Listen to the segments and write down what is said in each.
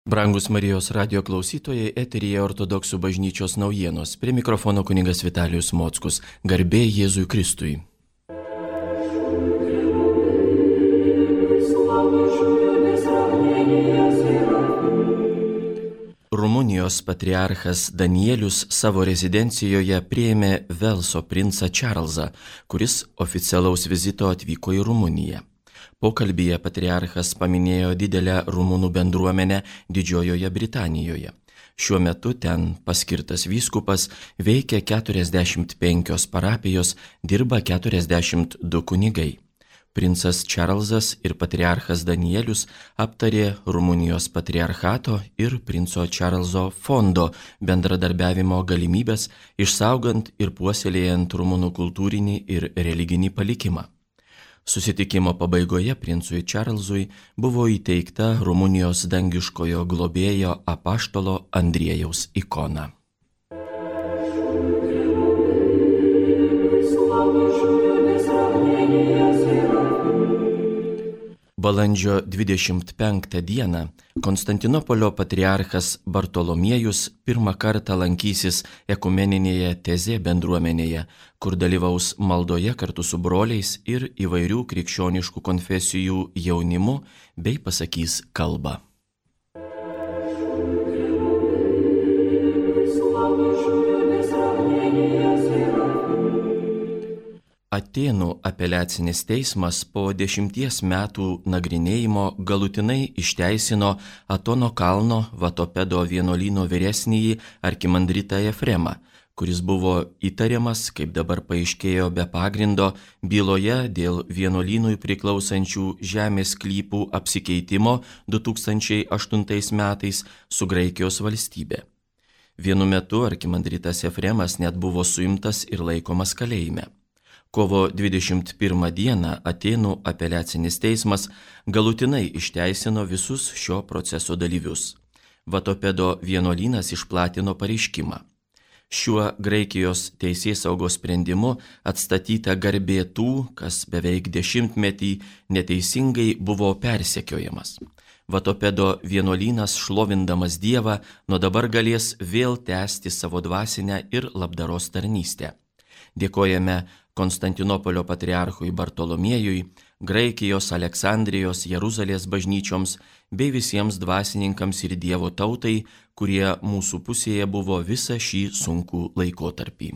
Brangus Marijos radio klausytojai, eteryje Ortodoksų bažnyčios naujienos. Prie mikrofono kunigas Vitalijus Mockus. Garbė Jėzui Kristui. Rumunijos patriarchas Danielius savo rezidencijoje priėmė Velso princą Čarlzą, kuris oficialaus vizito atvyko į Rumuniją. Pokalbyje patriarchas paminėjo didelę rumunų bendruomenę Didžiojoje Britanijoje. Šiuo metu ten paskirtas vyskupas, veikia 45 parapijos, dirba 42 kunigai. Princas Čarlzas ir patriarchas Danielius aptarė Rumunijos patriarchato ir princo Čarlzo fondo bendradarbiavimo galimybės, išsaugant ir puoselėjant rumunų kultūrinį ir religinį palikimą. Susitikimo pabaigoje princui Čarlzui buvo įteikta Rumunijos dangiškojo globėjo apaštalo Andriejaus ikona. Balandžio 25 dieną Konstantinopolio patriarchas Bartolomiejus pirmą kartą lankysis ekumeninėje Tezė bendruomenėje, kur dalyvaus maldoje kartu su broliais ir įvairių krikščioniškų konfesijų jaunimu bei pasakys kalbą. Atėnų apeliacinis teismas po 10 metų nagrinėjimo galutinai išteisino Atono kalno Vatopedo vienuolyno vyresnįjį arkimandritą Efremą, kuris buvo įtariamas, kaip dabar paaiškėjo be pagrindo, byloje dėl vienuolynui priklausančių žemės sklypų apsikeitimo 2008 metais su Graikijos valstybe. Vienu metu arkimandritas Efremas net buvo suimtas ir laikomas kalėjime. Kovo 21 dieną Atėnų apeliacinis teismas galutinai išteisino visus šio proceso dalyvius. Vatopedo vienuolynas išplatino pareiškimą. Šiuo Graikijos teisėsaugos sprendimu atstatyta garbė tų, kas beveik 10-metį neteisingai buvo persekiojamas. Vatopedo vienuolynas, šlovindamas Dievą, nuo dabar galės vėl tęsti savo dvasinę ir labdaros tarnystę. Dėkojame Konstantinopolio patriarchui Bartolomiejui, Graikijos, Aleksandrijos, Jeruzalės bažnyčioms bei visiems dvasininkams ir Dievo tautai, kurie mūsų pusėje buvo visą šį sunkų laikotarpį.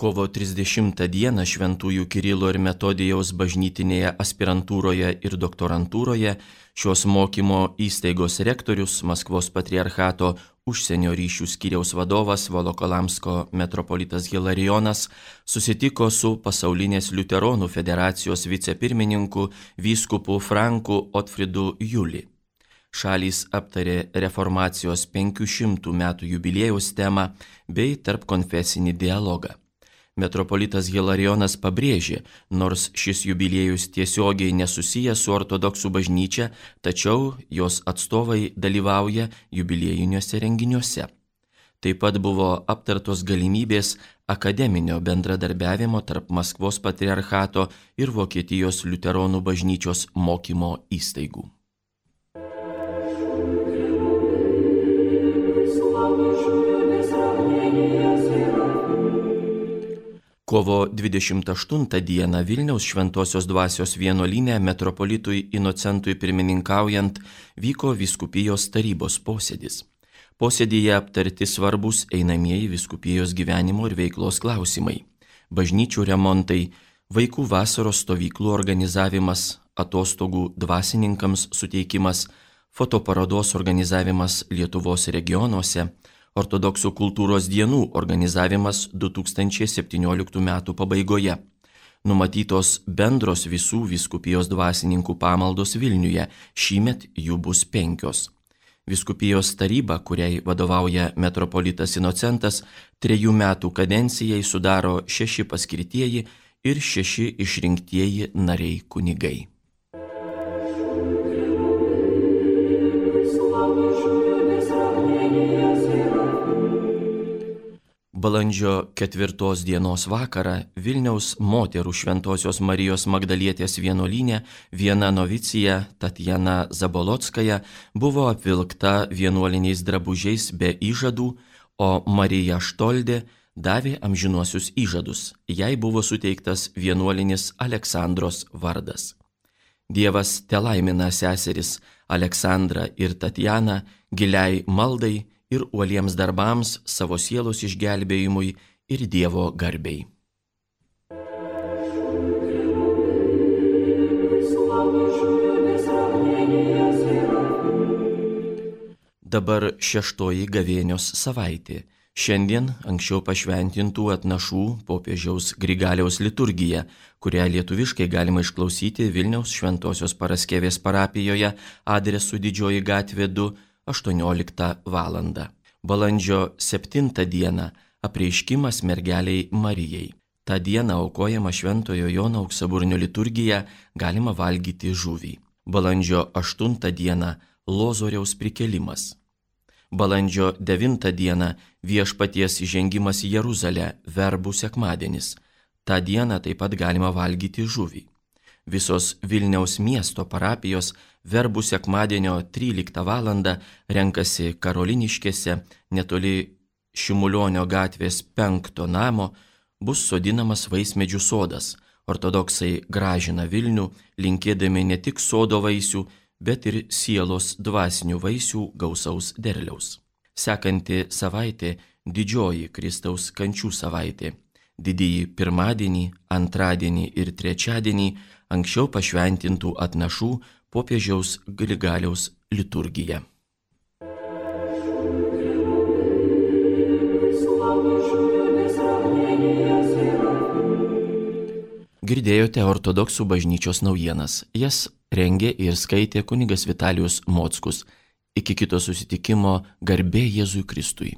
Kovo 30 dieną Šventųjų Kirilo ir Metodijaus bažnytinėje aspirantūroje ir doktorantūroje šios mokymo įstaigos rektorius, Maskvos patriarchato užsienio ryšių skyriaus vadovas Volokolamsko metropolitas Hilarijonas susitiko su Pasaulinės liuteronų federacijos vicepirmininku vyskupu Franku Otfridu Juli. Šalys aptarė reformacijos 500 metų jubiliejaus temą bei tarpkonfesinį dialogą. Metropolitas Hilarijonas pabrėžė, nors šis jubiliejus tiesiogiai nesusijęs su ortodoksų bažnyčia, tačiau jos atstovai dalyvauja jubiliejiniuose renginiuose. Taip pat buvo aptartos galimybės akademinio bendradarbiavimo tarp Maskvos patriarchato ir Vokietijos liuteronų bažnyčios mokymo įstaigų. Kovo 28 dieną Vilniaus Šventosios dvasios vienuolyne metropolitui Inocentui pirmininkaujant vyko vyskupijos tarybos posėdis. Posėdyje aptarti svarbus einamieji vyskupijos gyvenimo ir veiklos klausimai: bažnyčių remontai, vaikų vasaros stovyklų organizavimas, atostogų dvasininkams suteikimas, fotoparodos organizavimas Lietuvos regionuose, ortodoksų kultūros dienų organizavimas 2017 metų pabaigoje. Numatytos bendros visų vyskupijos dvasininkų pamaldos Vilniuje, šįmet jų bus 5. Vyskupijos taryba, kuriai vadovauja metropolitas Inocentas, 3 metų kadencijai sudaro 6 paskirtieji ir 6 išrinktieji nariai kunigai. Balandžio 4 dienos vakarą Vilniaus moterų Šventosios Marijos Magdalietės vienuolyne viena novicija Tatjana Zabolotskaja buvo apvilkta vienuoliniais drabužiais be įžadų, o Marija Štoldė davė amžinuosius įžadus. Jai buvo suteiktas vienuolinis Aleksandros vardas. Dievas telaimina seseris Aleksandrą ir Tatjaną giliai maldai ir uoliems darbams savo sielos išgelbėjimui ir Dievo garbei. Dabar 6 gavėnios savaitė. Šiandien anksčiau pašventintų atnašų popiežiaus Grigaliaus liturgija, kurią lietuviškai galima išklausyti Vilniaus Šventosios Paraskevės parapijoje adresu Didžioji gatvė 2, 18 val. Balandžio 7 dieną apreiškimas mergeliai Marijai. Ta diena aukojama Šventojo Jono Auksaburnio liturgija, galima valgyti žuvį. Balandžio 8 dieną Lozoriaus prikėlimas. Balandžio 9 dieną Viešpaties įžengimas į Jeruzalę, Verbų sekmadienis. Ta diena taip pat galima valgyti žuvį. Visos Vilniaus miesto parapijos Verbų sekmadienio 13 val. Renkasi Karoliniškėse, netoli Šimulionio gatvės 5 namo, bus sodinamas vaismedžių sodas. Ortodoksai gražina Vilnių, linkėdami ne tik sodo vaisių, bet ir sielos dvasinių vaisių gausaus derliaus. Sekanti savaitė Didžioji Kristaus kančių savaitė. Didįjį pirmadienį, antradienį ir trečiadienį anksčiau pašventintų atnašų popiežiaus Grigaliaus liturgija. Girdėjote ortodoksų bažnyčios naujienas. Jas rengė ir skaitė kunigas Vitalijus Mockus. Iki kito susitikimo, garbė Jėzui Kristui.